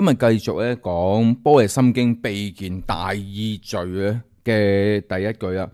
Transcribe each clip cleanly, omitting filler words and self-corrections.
今日繼續咧講般若心經備件大意序咧嘅第一句啦，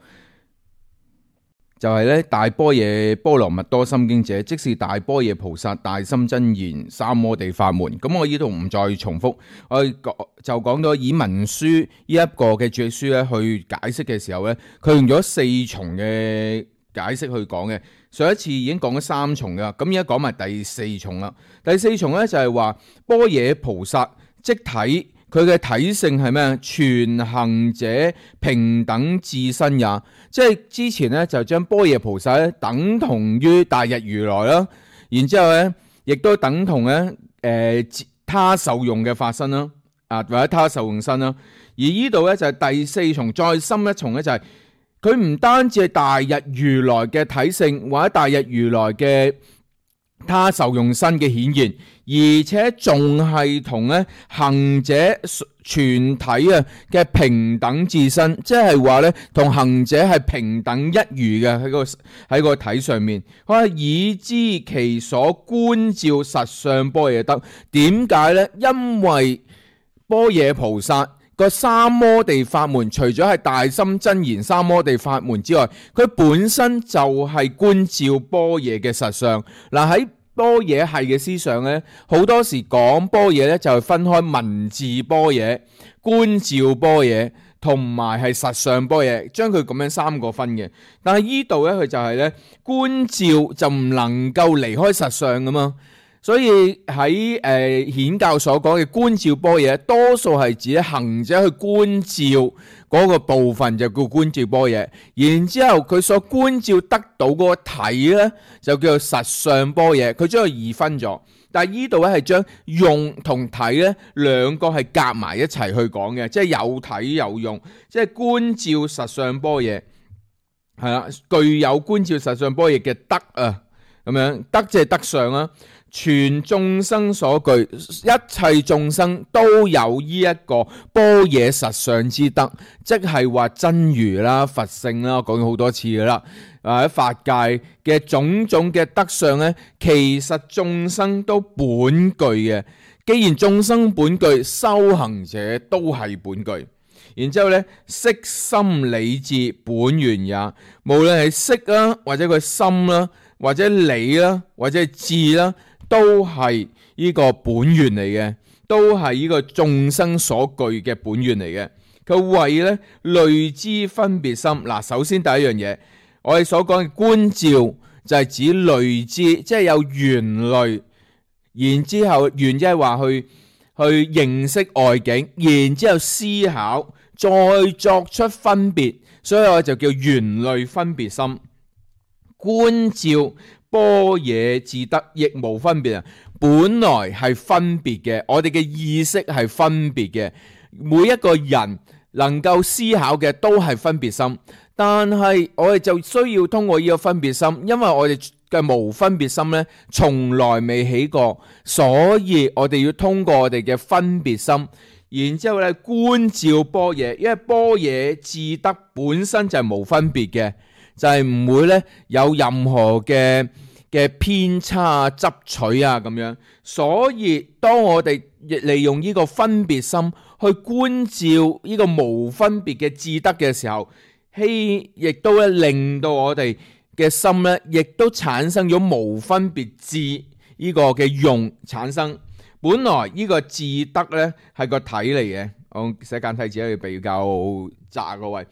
就係咧大般若波羅蜜多心經者，即是大般若菩薩大心真言三摩地法門。咁我呢度唔再重複，我就講到以文殊呢一個嘅注書咧去解釋嘅時候咧，佢用咗四重嘅解釋去講嘅。上一次已經講咗三重噶，咁而家講埋第四重啦。第四重咧就係話般若菩薩即體，佢嘅體性係咩？全行者平等自身也，即係之前咧就將般若菩薩咧等同於大日如來啦，然之後咧亦都等同咧他受用嘅法身啦，或者他受用身啦。而呢度咧就係第四重，再深一重咧就係佢唔單止係大日如來嘅體性，或者大日如來嘅他受用身嘅顯現，而且仲係同咧行者全體嘅平等自身，即係話咧同行者係平等一如嘅喺個體上面。以知其所觀照實相般若得，點解呢？因為般若菩薩個三摩地法門，除咗係大心真言三摩地法門之外，佢本身就係觀照般若嘅實相。嗱，喺般若系嘅思想咧，好多時講般若咧就係分開文字般若、觀照般若同埋係實相般若，將佢咁樣三個分嘅。但係呢度咧佢就係咧觀照就唔能夠離開實相噶嘛。所以喺顯教所講嘅觀照般若，多數係指行者去觀照嗰個部分就叫觀照般若，然之後佢所觀照得到嗰個體咧就叫做實相般若，佢將佢二分咗。但係呢度咧係將用同體咧兩個係夾埋一齊去講嘅，即係有體有用，即係觀照實相般若係啦，具有觀照實相般若嘅德啊，咁樣德即係德相啦。全眾生所具，一切眾生都有呢一個般若實相之德，即係話真如啦、佛性啦，講咗好多次噶啦。喺法界嘅種種嘅德相咧，其實眾生都本具嘅。既然眾生本具，修行者都係本具。然之後咧，色心理智本源也，無論係色啦，或者佢心啦，或者理啦，或者係智啦，都係呢個本源嚟嘅，都係呢個眾生所具嘅本源嚟嘅。佢為咧類知分別心。嗱，首先第一樣嘢，我哋所講嘅觀照就係指類知，即係有緣類，然之後緣即係話去認識外境，然之後思考，再作出分別，所以我就叫緣類分別心。觀照般若自得亦無分別啊！本來係分別嘅，我哋嘅意識係分別嘅，每一個人能夠思考嘅都係分別心，但係我哋就需要通過呢個分別心，因為我哋嘅無分別心呢，從來未起過，所以我哋要通過我哋嘅分別心，然之後咧觀照般若，因為般若自得本身就係無分別嘅，就係唔會咧有任何嘅偏差執取啊咁樣，所以當我哋利用呢個分別心去觀照呢個無分別嘅自得嘅時候，亦都咧令到我哋嘅心咧，亦都產生咗無分別智呢個嘅用產生。本來呢個自得咧係個體嚟嘅，我寫簡體字咧比較窄個位。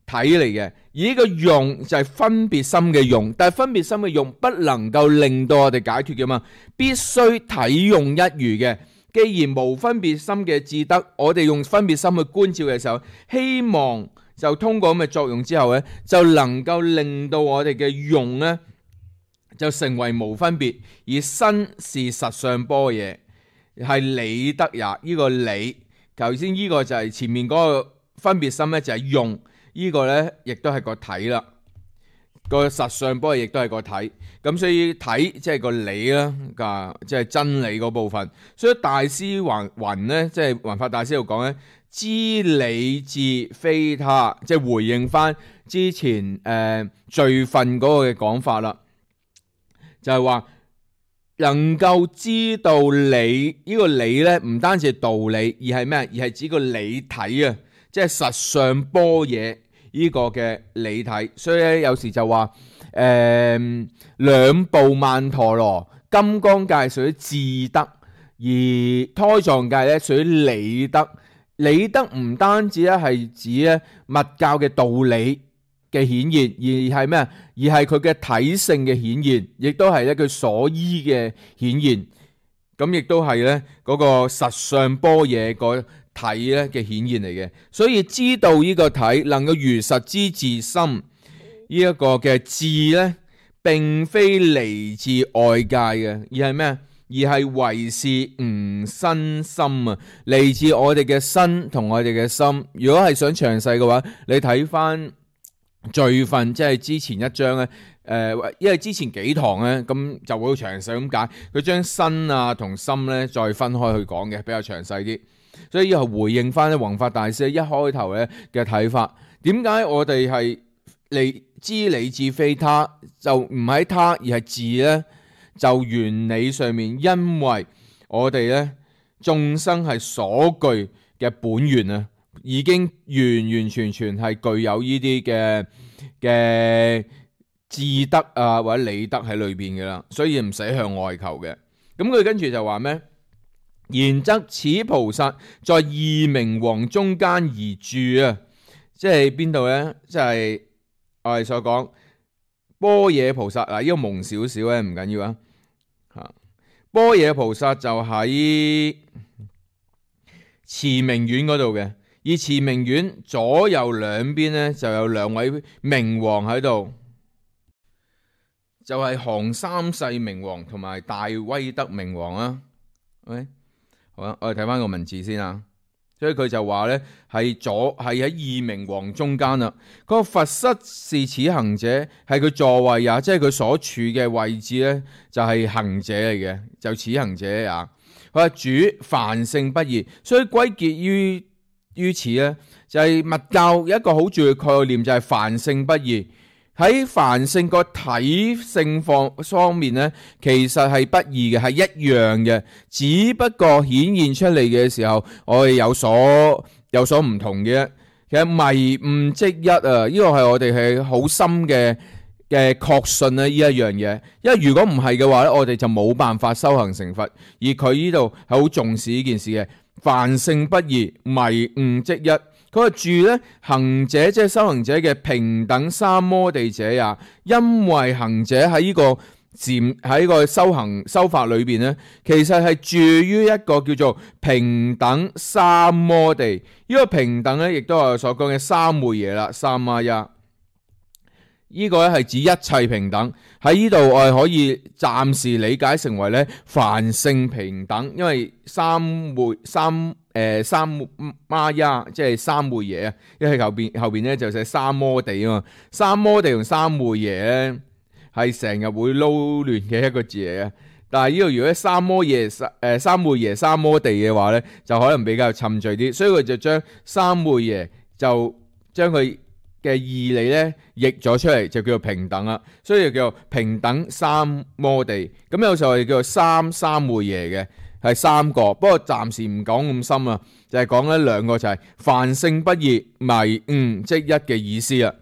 體嚟嘅，而呢個用就係分別心嘅用，但係分別心嘅用不能夠令到我哋解脫嘅嘛，必須體用一如嘅。既然無分別心嘅自得，我哋用分別心去觀照嘅時候，希望就通過咁嘅作用之後咧，就能夠令到我哋嘅用咧就成為無分別，而身是實相般若，係理得也。呢個理，頭先呢個就係前面嗰個分別心咧，就係用。呢個呢，亦都係個體啦，個實相般若亦都係個體，咁所以體即係個理啦，即係真理嗰部分。所以大師雲呢，即係雲法大師度講呢，知理智非他，即係回應翻之前罪分嗰個嘅講法啦，就係話能夠知道理呢個理咧，唔單止係道理，而係咩？而係指個理體啊，即係實相般若呢個嘅理體。所以咧，有時就話兩部曼陀羅，金剛界屬於智德，而胎藏界咧屬於理德。理德唔單止咧係指咧密教嘅道理嘅顯現，而係咩？而係佢嘅體性嘅顯現，亦都係咧佢所依嘅顯現。咁亦都係咧嗰個實相般若個體咧嘅顯現嚟嘅。所以知道呢個體，能夠如實知自心呢一個嘅智咧，並非嚟自外界嘅，而係咩？而係為是吾身心啊，嚟自我哋嘅身同我哋嘅心。如果係想詳細嘅話，你睇翻序分，即係之前一章咧，因為之前幾堂咧，咁就會好詳細咁解。佢將身啊同心咧再分開去講嘅，比較詳細啲。所以以後回應翻咧弘法大師一開頭咧嘅睇法，點解我哋係知理智非他，就唔係他而係智咧？就原理上面，因為我哋咧眾生係所具嘅本源啊，已經完完全全係具有呢啲嘅智德啊或者理德喺裏邊嘅啦，所以唔使向外求嘅。咁佢跟住就話咩？然則此菩薩在二明王中間而住啊，即係邊度咧？即係我哋所講般若菩薩嗱，呢個蒙少少咧，唔緊要啊。般若菩薩就喺慈明院嗰度嘅，而慈明院左右兩邊咧就有兩位明王喺度，就係降三世明王同埋大威德明王啊。OK， 好啦，我哋睇翻個文字先啊。所以佢就話咧係喺二明王中間啦。嗰個佛室是此行者，係佢座位啊，即係佢所處嘅位置咧，就係行者嚟嘅，就此行者啊。佢話主凡聖不異，所以歸結於此咧，就係密教有一個好重要嘅概念，就係凡聖不異。喺凡聖個體性方面咧，其實係不異嘅，係一樣嘅，只不過顯現出嚟嘅時候，我哋有所唔同嘅。其實迷悟即一啊，呢個係我哋係好深嘅確信咧，呢一樣嘢。因為如果唔係嘅話咧，我哋就冇辦法修行成佛。而佢呢度係好重視呢件事嘅，凡聖不異，迷悟即一。佢話住咧行者，即係修行者嘅平等三摩地者也，因為行者喺呢個修法裏邊咧，其實係住於一個叫做平等三摩地。呢個平等咧，亦都係我所講嘅三昧耶啦，三摩耶。呢個咧係指一切平等。喺呢度我哋可以暫時理解成為咧凡聖平等，因為三摩耶即係三昧耶啊，因為後邊咧就寫三摩地啊嘛。三摩地同三昧耶咧係成日會撈亂嘅一個字嚟嘅。但係呢度如果三昧耶三摩地嘅話咧，就可能比較沉醉啲，所以佢就將三昧耶就將佢嘅義理咧譯咗出嚟，就叫做平等啦，所以就叫做平等三摩地。咁有時候我哋叫做三昧耶嘅，係三個，不過暫時唔講咁深啊，就係講咧兩個，就係凡聖不異，迷悟即一嘅意思啊。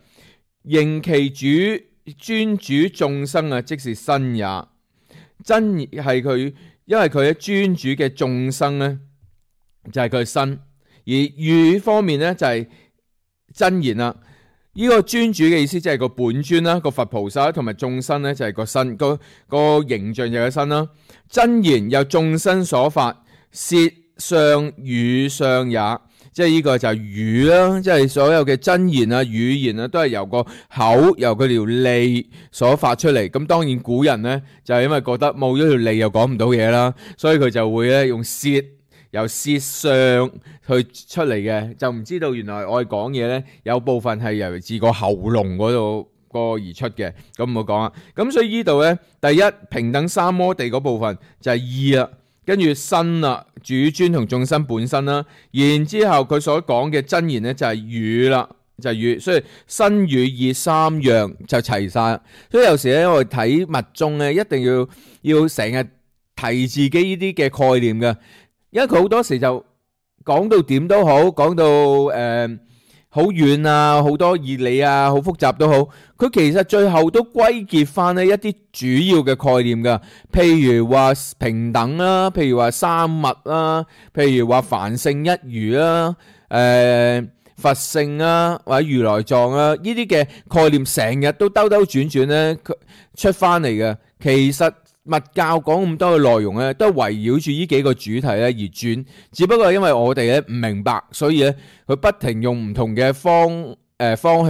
認其主專主眾生啊，即是身也。真係佢，因為佢喺專主嘅眾生咧，就係佢身，而語方面咧就係真言啦。呢個專主嘅意思即係個本尊啦，個佛菩薩同埋眾生咧就係個身，個形象就係個身啦。真言由眾生所發，舌相語相也，即係呢個就係語啦，即係所有嘅真言啊、語言啊，都係由個口、由佢條脷所發出嚟。咁當然古人咧就係因為覺得冇咗條脷又講唔到嘢啦，所以佢就會咧用舌。由舌相去出嚟嘅，就唔知道原來我哋講嘢咧，有部分係由自個喉嚨嗰度而出嘅，咁唔好講啦。咁所以呢度咧，第一平等三摩地嗰部分就係意啦，跟住身啦，主尊同眾生本身啦，然之後佢所講嘅真言咧就係語啦，就係語，所以身語意三樣就齊晒。所以有時咧我哋睇密宗咧，一定要成日提自己呢啲嘅概念嘅，因為佢好多時就講到點都好，講到好遠啊，好多義理啊，好複雜都好，佢其實最後都歸結翻呢一啲主要嘅概念噶，譬如話平等啦，譬如話三物啦，譬如話凡聖一如啦，佛性啊，或者如來藏啊，呢啲嘅概念成日都兜兜轉轉咧出翻嚟嘅。其實密教講咁多嘅內容咧，都係圍繞住呢幾個主題咧而轉，只不過因為我哋咧唔明白，所以咧佢不停用唔同嘅方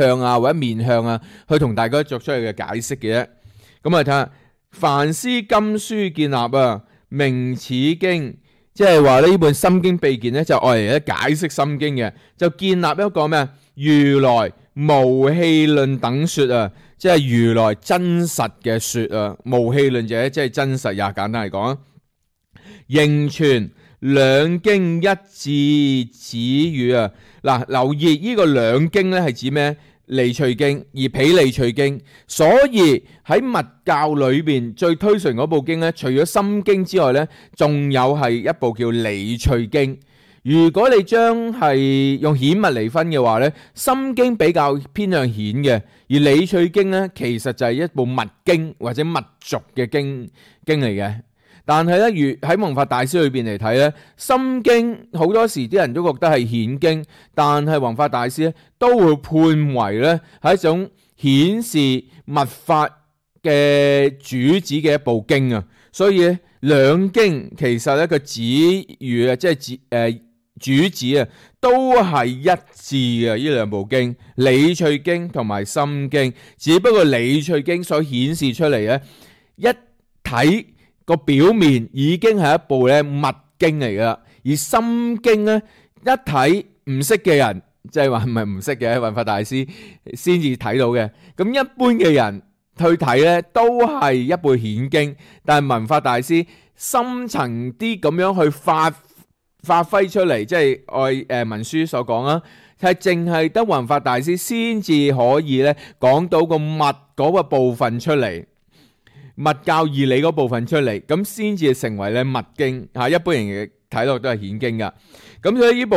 向啊或者面向啊，去同大家作出嚟嘅解釋嘅啫。咁啊睇下梵師金書建立啊，名此經。即係話呢本心經秘鍵咧，就愛嚟咧解釋心經嘅，就建立一個咩如來無戲論等說啊，即係如來真實嘅說啊，無戲論者即係真實也，簡單嚟講，仍傳兩經一致止語啊。嗱，留意呢個兩經咧係指咩？離趣經而毗離趣經，所以喺密教裏邊最推崇嗰部經咧，除咗心經之外咧，仲有係一部叫離趣經。如果你將係用顯密嚟分嘅話咧，心經比較偏向顯嘅，而離趣經咧其實就係一部密經或者密續嘅經嚟嘅。但係咧，如喺文法大師裏邊嚟睇咧，心經好多時啲人都覺得係顯經，但係文法大師咧都會判為咧係一種顯示密法嘅主旨嘅一部經啊。所以咧兩經其實咧個旨語啊，即係主旨啊，都係一致嘅。呢兩部經，離趣經同埋心經，只不過離趣經所顯示出嚟咧，一睇個表面已經係一部咧密經嚟噶，而心經咧一睇唔識嘅人，即係話唔係唔識嘅，文法大師先至睇到嘅。咁一般嘅人去睇咧，都係一部顯經，但係文法大師深層啲咁樣去發揮出嚟，即係按文書所講啦，係淨係得文法大師先至可以咧講到個密嗰個部分出嚟。密教義理嗰部分出嚟，咁先至成為咧密經吓，一般人嘅睇落都係顯經噶。咁所以呢部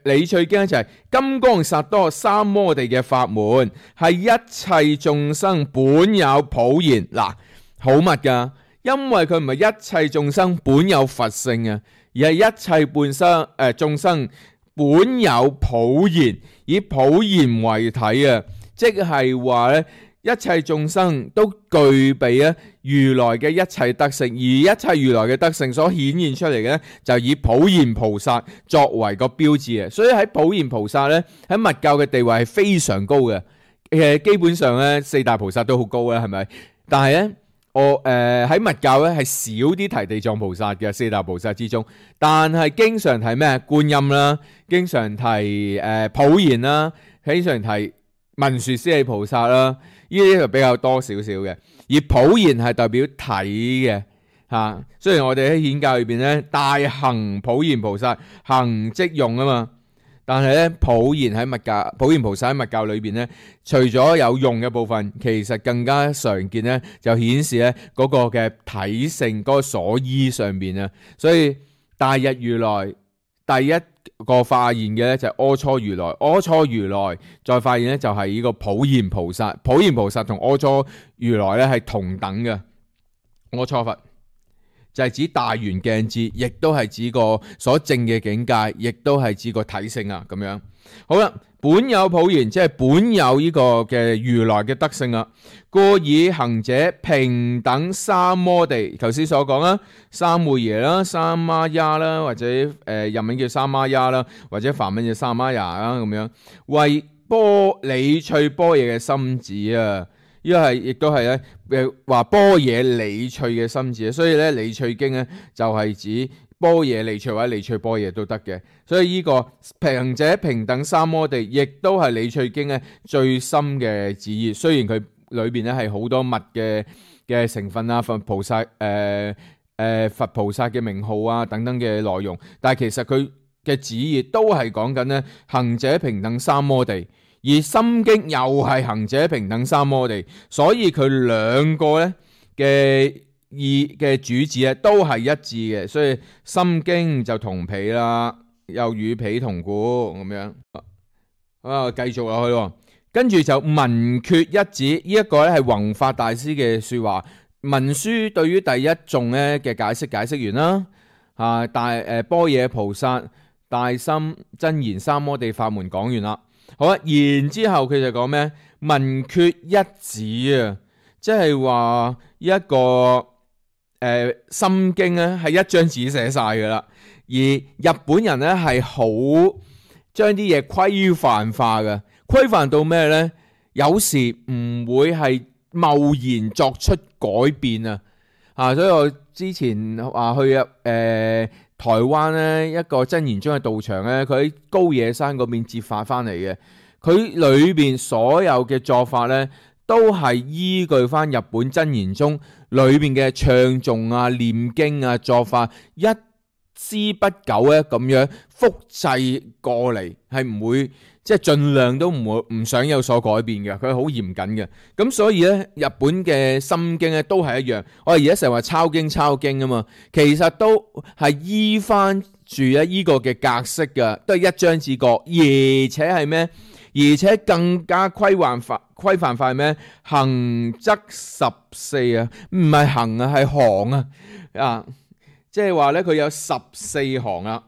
離趣經就係金剛薩埵三摩地嘅法門，係一切眾生本有普賢。嗱，好密噶，因為佢唔係一切眾生本有佛性啊，而係一切眾生本有普賢，以普賢為體啊，即係話咧。一切眾生都具備啊如來嘅一切德性，而一切如來嘅德性所顯現出嚟嘅咧，就以普賢菩薩作為個標誌嘅。所以喺普賢菩薩咧，喺密教嘅地位係非常高嘅。基本上咧四大菩薩都好高啦，係咪？但係咧，我喺密教咧係少啲提地藏菩薩嘅四大菩薩之中，但係經常提咩觀音啦，經常提普賢啦，經常提文殊師利菩薩啦。呢啲就比較多少少嘅，而普賢係代表體嘅嚇。雖然我哋喺顯教裏邊咧，大行普賢菩薩行即用啊嘛，但係咧普賢喺密教，普賢菩薩喺密教裏邊咧，除咗有用嘅部分，其實更加常見咧，就顯示咧嗰個嘅體性嗰個所依上邊啊。所以大日如來第一個發現嘅咧就係阿閦如來，阿閦如來再發現咧就係呢個普賢菩薩，普賢菩薩同阿閦如來咧係同等嘅。阿閦佛就係指大圓鏡智，亦都係指個所證嘅境界，亦都係指個體性啊咁樣。好啦，本有普賢，即係本有呢個嘅如來嘅德性啊，故以行者平等三摩地，頭先所講啦，三昧耶啦、三媽呀啦，或者日文叫三媽呀啦，或者梵文叫三媽呀啦咁樣，為離趣般若嘅心旨啊。呢個係亦都係咧話般若離趣嘅心旨，所以咧離趣經咧就係指般若離趣或者離趣般若都得嘅。所以呢個行者平等三摩地，亦都係離趣經咧最深嘅旨意。雖然佢裏邊咧係好多密嘅成分啊，佛菩薩佛菩薩嘅名號啊等等嘅內容，但係其實佢嘅旨意都係講緊咧行者平等三摩地。而心經又係行者平等三摩地，所以佢兩個咧嘅主旨咧都係一致嘅，所以心經就同彼啦，又與彼同故咁樣。繼續落去，跟住就文缺一指，呢一個咧係弘法大師嘅說話。文書對於第一頌咧嘅解釋完啦。般若菩薩大心真言三摩地法門講完啦。好啦，然之後佢就講咩？文缺一指啊，即係話一個心經咧係一張紙寫晒噶啦，而日本人咧係好將啲嘢規範化嘅，規範到咩呢？有時唔會係貿然作出改變啊！所以我之前話去台灣呢一個真言宗嘅道場呢，佢喺高野山嗰邊折法翻嚟嘅，佢裏邊所有嘅作法呢，都係依據翻日本真言宗裏邊嘅唱誦啊、念經啊、作法一絲不苟咧咁樣複製過嚟，係唔會即係盡量都唔想有所改變嘅，佢係好嚴謹嘅。咁所以咧，日本嘅心經咧都係一樣。我哋而家成日話抄經啊嘛，其實都係依翻住咧依個嘅格式嘅，都係一張紙過，而且係咩？而且更加規範化係咩？行則14啊，唔係行啊，係行啊。即係話咧，佢有14行啦，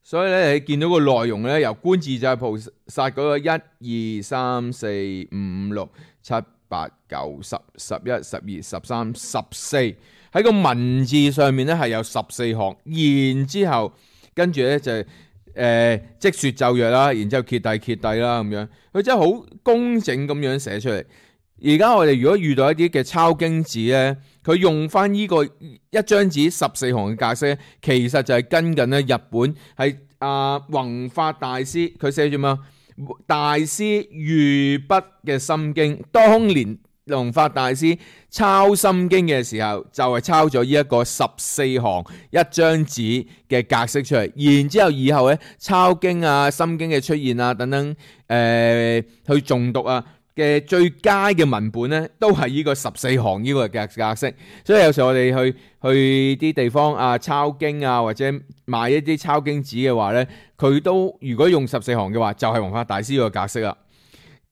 所以咧你見到個內容咧，由觀自在菩薩嗰個1、2、3、4、5、6、7、8、9、10、11、12、13、14，喺個文字上面咧係有14行，然之後跟住咧就即說咒曰啦，然之後揭諦啦咁樣，佢真係好工整咁樣寫出嚟。而家我哋如果遇到一啲嘅抄經紙咧，佢用翻呢個一張紙14行嘅格式，其實就係跟緊咧日本係弘法大師佢寫住咩？大師御筆嘅心經，當年弘法大師抄心經嘅時候，就係抄咗呢一個14行一張紙嘅格式出嚟，然之後以後咧抄經啊、心經嘅出現啊等等，去誦讀啊嘅最佳嘅文本咧，都係呢個14行呢個格式。所以有時候我哋去啲地方抄經啊，或者買一啲抄經紙嘅話咧，佢都如果用14行嘅話，就係弘法大師個格式啦。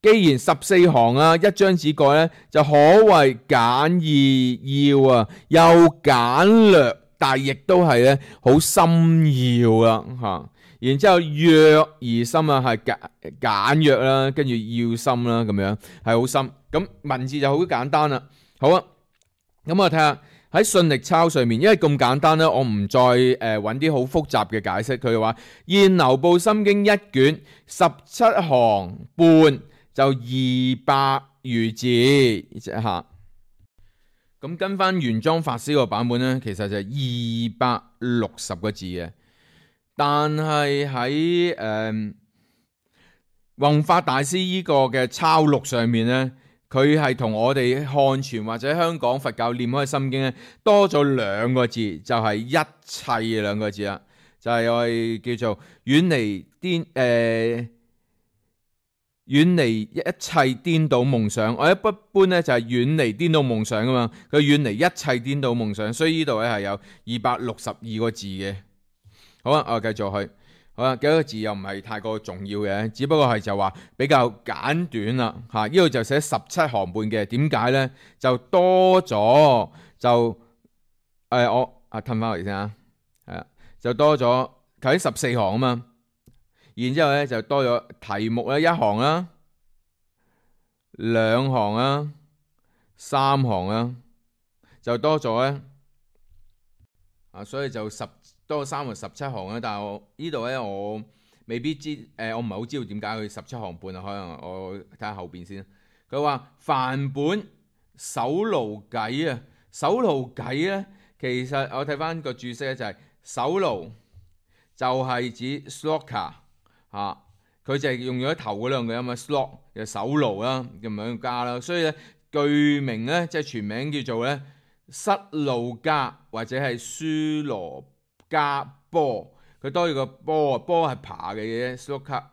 既然14行一張紙過咧，就可謂簡意要啊，又簡略，但亦都係咧好深要啦。然之後約而深啊，係簡約啦，跟住要深啦，咁樣係好深。咁文字就好簡單啦。好啊，咁我睇下喺信力抄上面，因為咁簡單咧，我唔再揾啲好複雜嘅解釋。佢話現流布心經一卷17行半就200餘字嚇。咁跟翻原裝法師個版本咧，其實就係260個字嘅。但係喺弘法大師呢個嘅抄錄上面咧，佢係同我哋漢傳或者香港佛教念開心經咧多咗2個字，就係一切2個字啦，就係我哋叫做遠離一切顛倒夢想。我一般咧就係遠離顛倒夢想噶嘛，佢遠離一切顛倒夢想，所以呢度咧係有262個字嘅。好啊，我繼續去。好啦，幾個字又唔係太過重要嘅，只不過係就話比較簡短啦。呢度就寫17行半嘅，點解咧？就多咗就我褪翻嚟先啊，係啊，就多咗佢喺14行啊嘛。然之後咧就多咗題目咧1行啦、2行啦、3行啦，就多咗咧所以就多咗3個17行啦。但係我呢度咧，我未必知我唔係好知道點解佢17行半啊。可能我睇下後邊先。佢話梵本首盧偈啊，首盧偈咧，其實我睇翻個注釋咧就係首盧就係指 sloka 佢就係用咗頭嗰兩個音啊 slok 就首盧啦，咁樣加啦。所以咧句名咧即係全名叫做咧失路加或者係舒羅加波，佢多咗個波，波係爬嘅嘢 sloka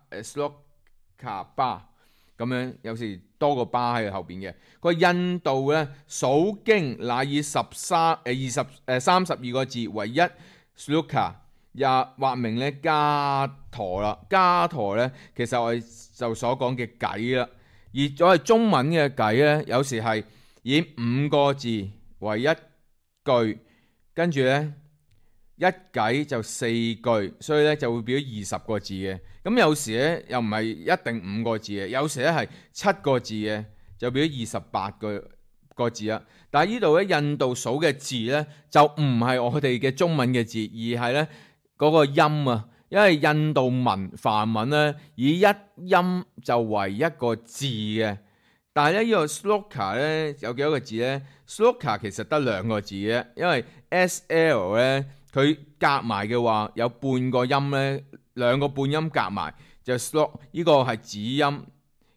巴。咁樣，有時多個巴喺後邊嘅。個印度咧數經乃以32個字為一 sloka， 也或名咧伽陀啦。伽陀咧其實我哋就所講嘅偈啦，而咗係中文嘅偈咧，有時係以5個字為一句，跟住咧一偈就4句，所以咧就會變咗20個字嘅。咁有時咧又唔係一定5個字嘅，有時咧係7個字嘅，就變咗28個字啦。但係呢度咧印度數嘅字咧就唔係我哋嘅中文嘅字，而係咧嗰個音啊。因為印度文梵文咧以一音就為一個字嘅，但係咧呢個 sloka 咧有幾多個字咧 ？sloka 其實得2個字嘅，因為 SL 咧佢夾埋嘅話有半個音咧，2個半音夾埋就 slok， 呢個係子音，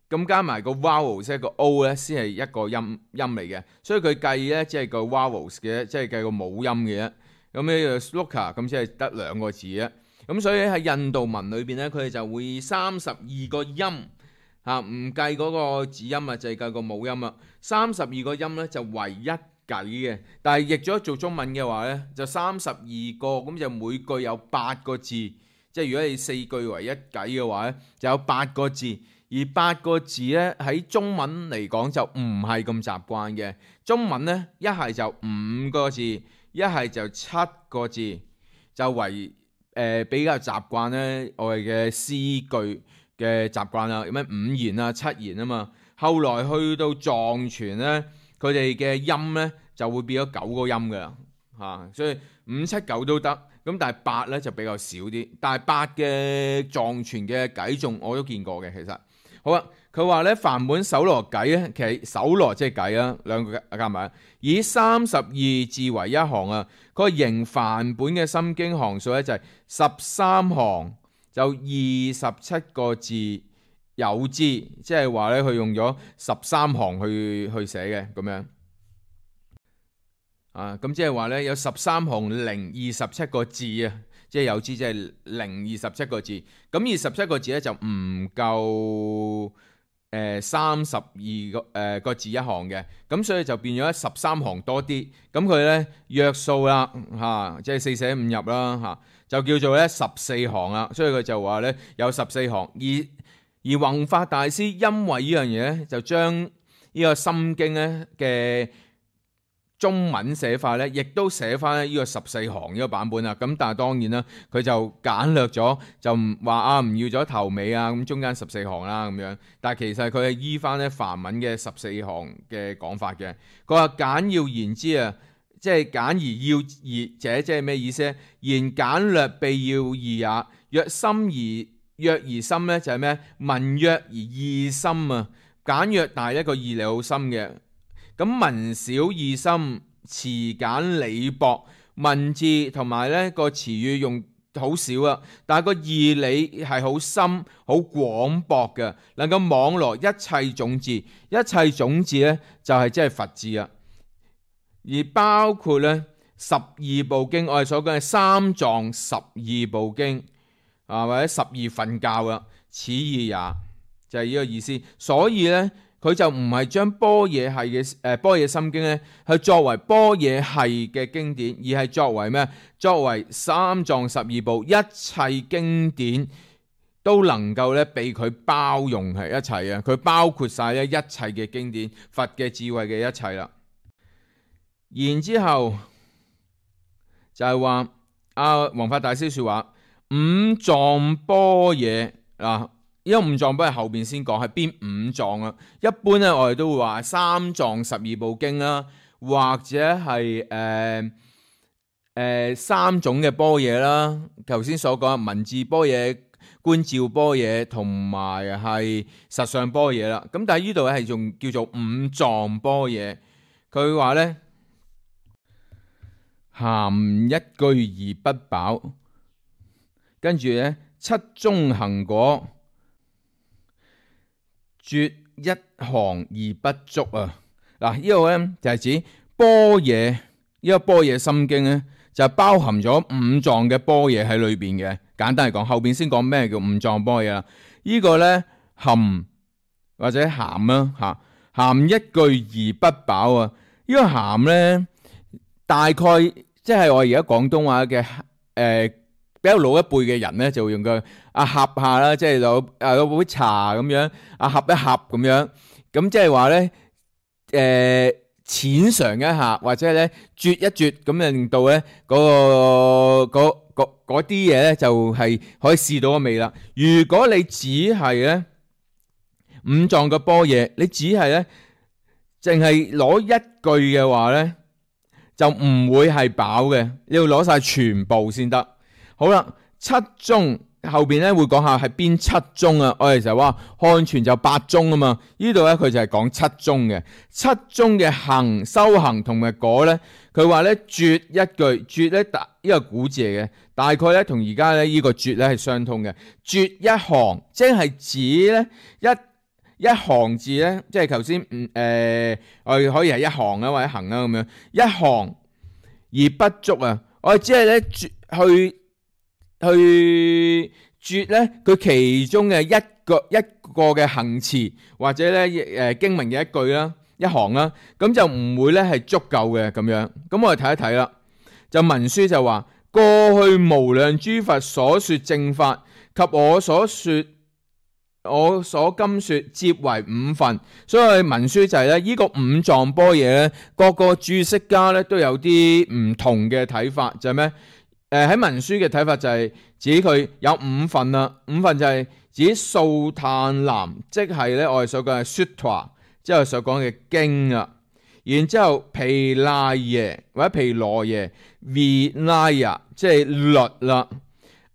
咁加埋個 vowels 即係個 O 咧先係一個音嚟嘅，所以佢計咧即係個 vowels 嘅，即係計個母音嘅啫。咁呢個 sloka 咁先係得2個字嘅。咁所以喺印度文裏邊咧，佢哋就會32個音嚇，唔計嗰個子音啊，就係計個母音啊。32個音咧就為一偈嘅，但係譯咗做中文嘅話咧，就32個，咁就每句有8個字。即係如果你4句為一偈嘅話咧，就有8個字。而8個字咧喺中文嚟講就唔係咁習慣嘅。中文咧一係就5個字，一係就7個字，就為比較習慣咧，我哋嘅詩句嘅習慣啦，有咩5言啊、7言啊嘛。後來去到藏傳咧，佢哋嘅音咧就會變咗9個音噶啦嚇，所以5、7、9都得。咁但係8咧就比較少啲。但係8嘅藏傳嘅偈頌我都見過嘅，其實好啊。佢話咧梵本搜羅偈咧，其實搜羅即係偈啊，兩個加埋，以32字為一行啊。佢形梵本嘅心經行數咧就係13行，就27個字有之，即係話咧佢用咗13行去寫嘅咁樣啊。咁即係話咧有13行零27個字啊，即係有之即係零27個字。咁27個字咧就唔夠32個字一行嘅，咁所以就變咗13行多啲。咁佢咧約數啦嚇，即係4捨5入啦嚇，就叫做咧14行啦。所以佢就話咧有14行。而弘法大師因為呢樣嘢咧，就將呢個心經咧嘅中文寫法咧，亦都寫翻呢個14行呢個版本啦。咁但係當然啦，佢就簡略咗，就唔話唔要咗頭尾啊，咁中間14行啦咁樣。但係其實佢係依翻咧梵文嘅14行嘅講法嘅。佢話簡要言之啊，即係簡而要義者，即係咩意思咧？言簡略必要義也。若而深咧，就係咩？文約而義深啊。簡約但係一個義理好深嘅。咁文少義深，詞簡理薄，文字同埋咧個詞語用好少啊，但係個義理係好深、好廣博嘅，能夠網羅一切種字。一切種字咧就係即係佛字啊，而包括咧12部經，我哋所講嘅三藏12部經啊，或者12分教啊，此意也，就係呢個意思。所以咧。佢就唔係將般若系嘅般若心經咧，係作為般若系嘅經典，而係作為咩？作為三藏12部一切經典都能夠咧被佢包容係一齊啊！佢包括晒咧一切嘅經典，佛嘅智慧嘅一切啦。然之後就係話弘法大師說話五藏般若嗱。呢個五藏般若後邊先講係邊5藏啊？一般咧我哋都會話三藏12部經啦，或者係3種嘅般若啦。頭先所講文字般若、觀照般若同埋係實相般若啦。咁但係呢度係仲叫做五藏般若。佢話咧含一句而不飽，跟住咧七宗行果。絕一行而不足啊！嗱，呢個咧就係指般若，呢個般若心經咧就包含咗五藏嘅般若喺裏邊嘅。簡單嚟講，後邊先講咩叫五藏般若啦。呢個咧含或者咸啦吓，咸一句而不飽啊！呢個咸咧，大概即係我而家廣東話嘅比較老一輩嘅人咧，就會用個呷下啦，即係攞杯茶咁樣呷一呷咁樣，咁即係話咧淺嘗一下，或者咧啜一啜，咁就令到咧嗰啲嘢咧就係可以試到個味啦。如果你只係咧五臟嘅般若，你只係咧淨係攞一句嘅話咧，就唔會係飽嘅，你要攞晒全部先得。好啦，七宗後邊咧會講下係邊七宗啊？我哋就話漢傳就八宗啊嘛，呢度咧佢就係講七宗嘅。七宗嘅行修行同埋果咧，佢話咧絕一句，絕咧呢個古字嚟嘅，大概咧同而家咧呢個絕咧係相通嘅。絕一行，即係指咧一行字咧，即係頭先我哋可以係一行啊或者行啊咁樣，一行而不足啊，我哋只係咧去絕咧佢其中嘅一個嘅行詞或者咧經文嘅一句啦，一行啦，咁就唔會咧係足夠嘅咁樣。咁我哋睇一睇啦，就文書就話過去無量諸佛所說正法及我所今說皆為五分，所以文書就係咧呢個五臟般若咧，各個注釋家咧都有啲唔同嘅睇法，就係咩？喺文書嘅睇法就係指佢有五分啦，五分就係指素歎藍，即係咧我哋所講嘅 sutra， 即係所講嘅經啊。然之後毗賴耶或者毗羅耶 vinaya， 即係律啦。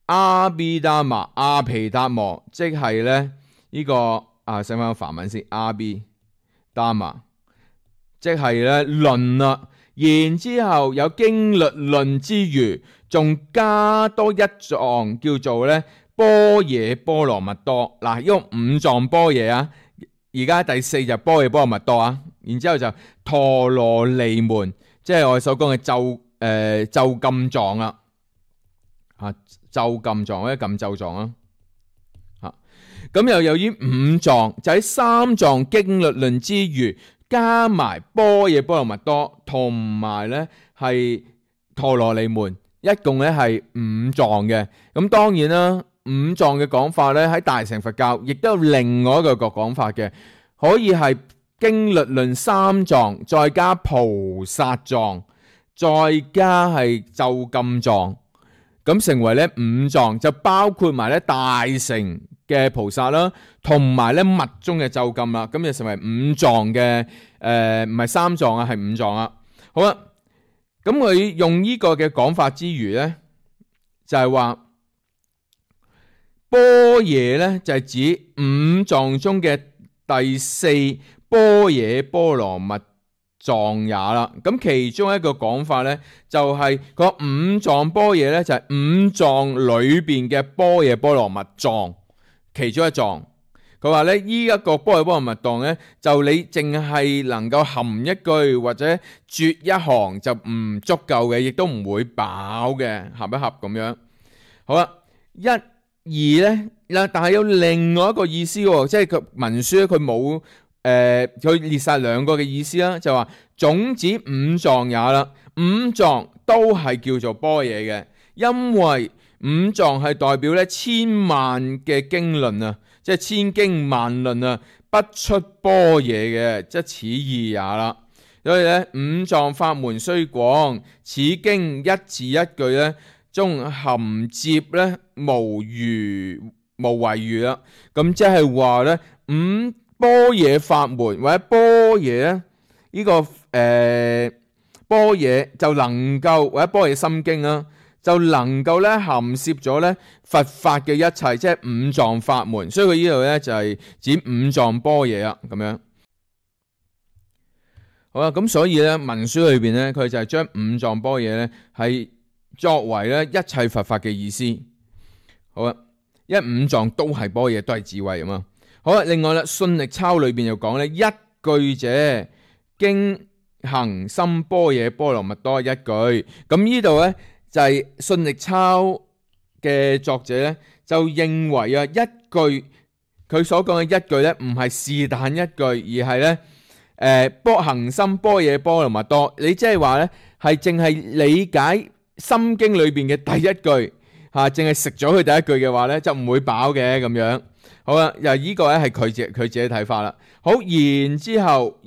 阿毗達摩阿毗達摩，即係咧呢個寫翻個梵文先，阿毗達摩，即係咧論啦。然之後有經律論之餘，仲加多一藏叫做咧般若波羅蜜多。嗱，呢個五藏般若啊，而家第四就般若波羅蜜多啊。然之後就陀羅尼門，即係我哋所講嘅咒禁藏啦，咒禁藏或者禁咒藏啊。咁又有呢五藏，就喺三藏經律論之餘，加埋般若波羅蜜多同埋咧係陀羅尼門，一共咧係五藏嘅。咁當然啦，五藏嘅講法咧喺大乘佛教亦都有另外一個講法嘅，可以係經律論三藏，再加菩薩藏，再加係咒禁藏，咁成為咧五藏，就包括埋咧大乘嘅菩薩啦，同埋咧密宗嘅咒禁啦，咁就成為五藏嘅唔係三藏啊，係五藏啊。好啦，咁佢用呢個嘅講法之餘咧，就係話般若咧就係指五藏中嘅第四般若波羅蜜藏也啦。咁其中一個講法咧，就係個五藏般若咧，就係五藏裏邊嘅般若波羅蜜藏其中一藏。佢話咧，呢一個般若波羅蜜藏咧，就你淨係能夠含一句或者絕一行就唔足夠嘅，亦都唔會飽嘅，合一合咁樣。好啦，一二咧，但係有另外一個意思喎，即係佢文書咧，佢冇佢列晒兩個嘅意思啦，就話總指五藏也啦，五藏都係叫做般若嘅，因為五藏係代表咧千萬嘅經論啊，即係千經萬論啊，不出般若嘅，即此意也啦。所以咧，五藏法門雖廣，此經一字一句咧，中含接咧無遺餘啦。咁即係話咧，五般若法門或者般若咧，呢個般若就能夠或者般若心經啦，就能夠咧含攝咗咧佛法嘅一切，即係五藏法門。所以佢呢度咧就係指五藏般若啊，咁樣。好啦，咁所以咧文書裏邊咧，佢就係將五藏般若咧係作為咧一切佛法嘅意思。好啦，因為五藏都係般若，都係智慧啊嘛。好啦，另外啦，信力鈔裏邊又講咧，一句者經行深般若波羅蜜多一句。咁呢度咧就係信力鈔嘅作者咧就認為啊，一句佢所講嘅一句咧，唔係是但一句，而係咧行深般若波羅蜜多。你即係話咧，係淨係理解心經裏邊嘅第一句嚇，淨係食咗佢第一句嘅話咧，就唔會飽嘅咁樣。好啦，又呢個咧係佢自己睇法啦。好，然之後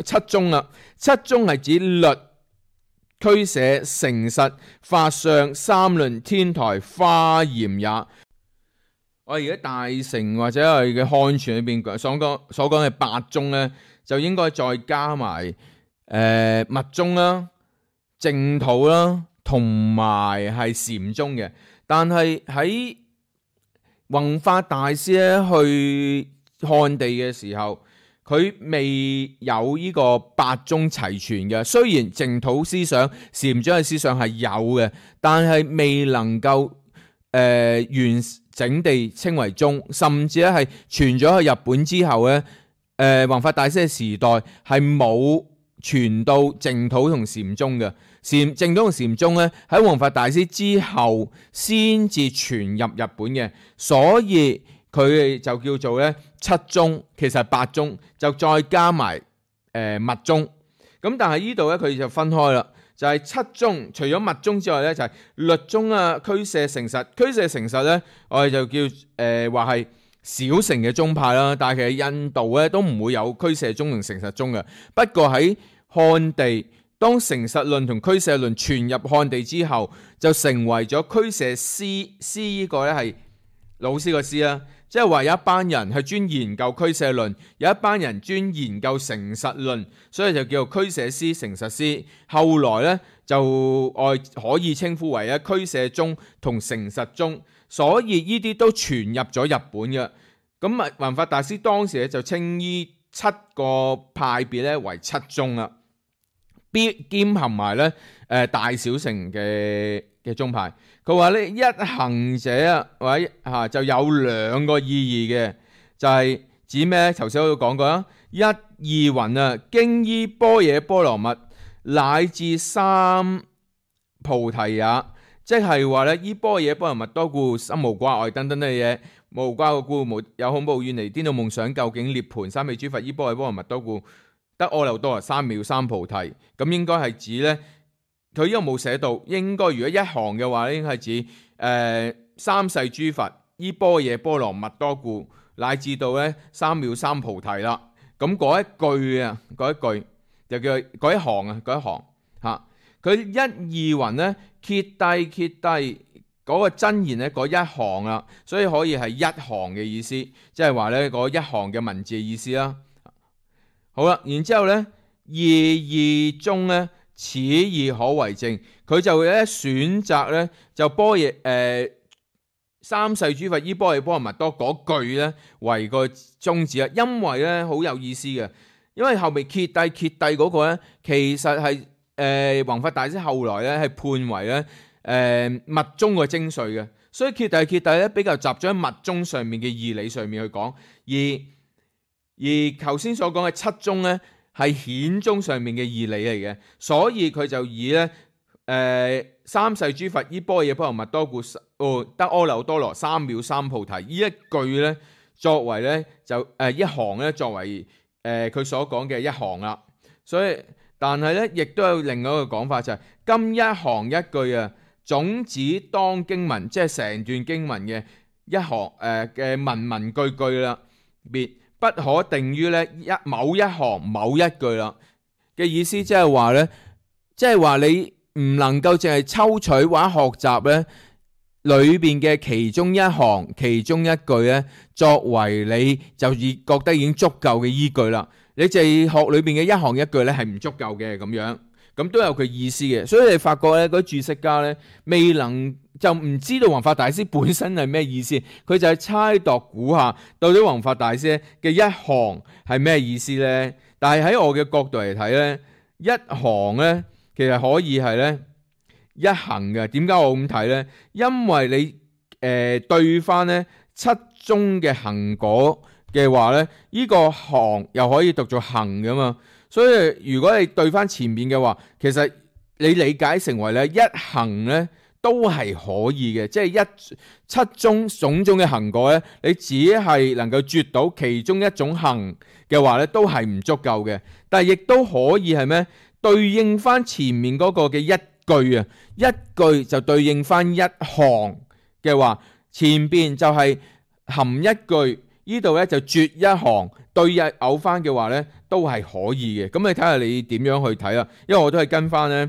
七宗啦，七宗係指律、俱舍、成實、法相、三論、天台、華嚴也。我而家大乘或者係嘅漢傳裏邊所講嘅八宗咧，就應該再加埋密宗啦、淨土啦，同埋係禪宗嘅。但係喺弘法大師咧去漢地嘅時候，佢未有呢個八宗齊全嘅。雖然淨土思想、禪宗嘅思想係有嘅，但係未能夠完整地稱為宗，甚至咧係傳咗去日本之後咧，弘法大師嘅時代係冇傳到淨土同禪宗嘅。淨土同禪宗咧喺弘法大師之後先至傳入日本嘅，所以佢哋就叫做咧七宗，其實係八宗，就再加埋密宗。咁但係呢度咧佢就分開啦。就係七宗，除咗密宗之外咧，就係律宗啊、俱舍、成實。俱舍成實咧，我哋就叫話係小乘嘅宗派啦。但係其實印度咧都唔會有俱舍宗同成實宗嘅。不過喺漢地，當成實論同俱舍論傳入漢地之後，就成為咗俱舍師。師呢個咧係老師個師啦。即係話有一班人係專研究俱舍論，有一班人專研究成實論，所以就叫做俱舍師、成實師。後來咧就可以稱呼為俱舍宗同成實宗，所以呢啲都傳入咗日本嘅。咁啊，弘法大師當時咧就稱呢七個派別咧為七宗啦，兼含埋咧大小乘嘅宗派。佢話咧一行者啊，或者就有兩個意義嘅，就係指咩？頭先我都講過啦，一二云啊，經依般若波羅蜜乃至三菩提也，即係話咧依般若波羅蜜多故，心無掛礙等等嘅嘢，無掛礙故，無有恐怖遠離顛倒夢想，究竟涅槃三昧諸佛依般若波羅蜜多故，得阿耨多羅三藐三菩提。咁應該係指咧。佢呢個冇寫到，應該如果一行嘅話咧，應該係指三世諸佛依般若波羅蜜多故，乃至到咧三藐三菩提啦。咁嗰一句啊，嗰一句就叫嗰一行啊，嗰一行嚇。佢一二云咧，揭諦嗰個真言咧，嗰一行啦，所以可以係一行嘅意思，即係話咧嗰一行嘅文字嘅意思啦。好啦，然之後咧二宗咧。此義可為證，佢就咧選擇咧就般若三世諸佛依般若波羅蜜多嗰句咧為個宗旨啊，因為咧好有意思嘅，因為後面揭諦嗰個咧其實係弘法大師後來咧係判為咧密宗嘅精髓嘅，所以揭諦咧比較集中喺密宗上面嘅義理上面去講，而頭先所講嘅七宗咧。係顯宗上面嘅義理嚟嘅，所以佢就以咧三世諸佛依般若波羅蜜多故，得阿耨多羅三藐三菩提呢一句咧，作為咧就一行咧作為佢所講嘅一行啦。所以但係咧亦都有另外一個講法就係、是、今一行一句啊，總指當經文，即係成段經文嘅一行嘅文句句啦，別。不可定於咧某一行某一句啦嘅意思，即係話咧，即係話你唔能夠淨係抽取或者學習咧裏邊嘅其中一行其中一句咧，作為你就覺得已經足夠嘅依據啦。你淨係學裏邊嘅一行一句咧係唔足夠嘅咁樣，咁都有佢意思嘅。所以你發覺咧嗰啲注釋家咧未能。就唔知道弘法大師本身係咩意思，佢就係猜度估下到底弘法大師嘅一行係咩意思呢？但係喺我嘅角度嚟睇呢，一行呢其實可以係呢一行嘅。點解我咁睇呢？因為你對翻呢七宗嘅行果嘅話呢，呢個行又可以讀做行噶嘛。所以如果你對翻前面嘅話，其實你理解成為呢一行呢。都係可以嘅，即係七宗種種嘅行果咧，你只係能夠絕到其中一種行嘅話咧，都係唔足夠嘅。但係亦都可以係咩？對應翻前面嗰個嘅一句啊，一句就對應翻一行嘅話，前邊就係含一句，呢度咧就絕一行，對偶翻嘅話咧，都係可以嘅。咁你睇下你點樣去睇啦？因為我都係跟翻咧，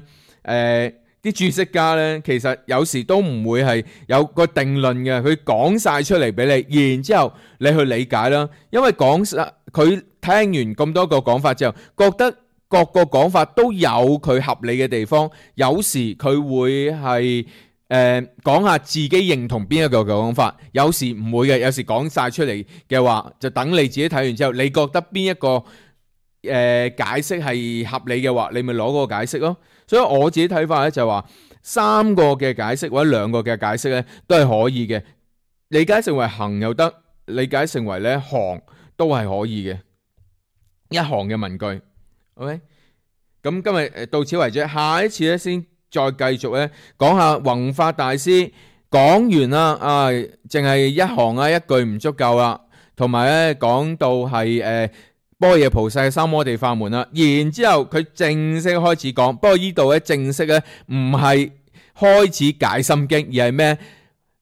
啲注釋家咧，其實有時都唔會係有個定論嘅，佢講晒出嚟俾你，然之後你去理解啦。因為講晒佢聽完咁多個講法之後，覺得各個講法都有佢合理嘅地方，有時佢會係講下自己認同邊一個講法，有時唔會嘅，有時講晒出嚟嘅話，就等你自己睇完之後，你覺得邊一個解釋係合理嘅話，你咪攞嗰個解釋咯。所以我自己睇法咧就話三個嘅解釋或者兩個嘅解釋咧都係可以嘅，理解成為行又得，理解成為咧行都係可以嘅，一行嘅文句。OK， 咁今日到此為止，下一次咧先再繼續咧講下弘法大師講完啦，淨係一行啊一句唔足夠啦，同埋咧講到係般若菩薩嘅三摩地法門啦，然之後佢正式開始講，不過呢度咧正式咧唔係開始解心經，而係咩？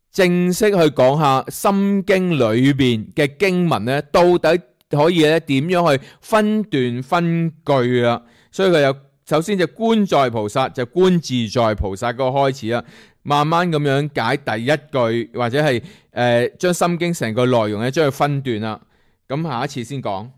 正式去講下心經裏邊嘅經文咧，到底可以咧點樣去分段分句啦？所以佢有首先就觀在菩薩，就觀自在菩薩嗰個開始啦，慢慢咁樣解第一句，或者係將心經成個內容咧將佢分段啦。咁下一次先講。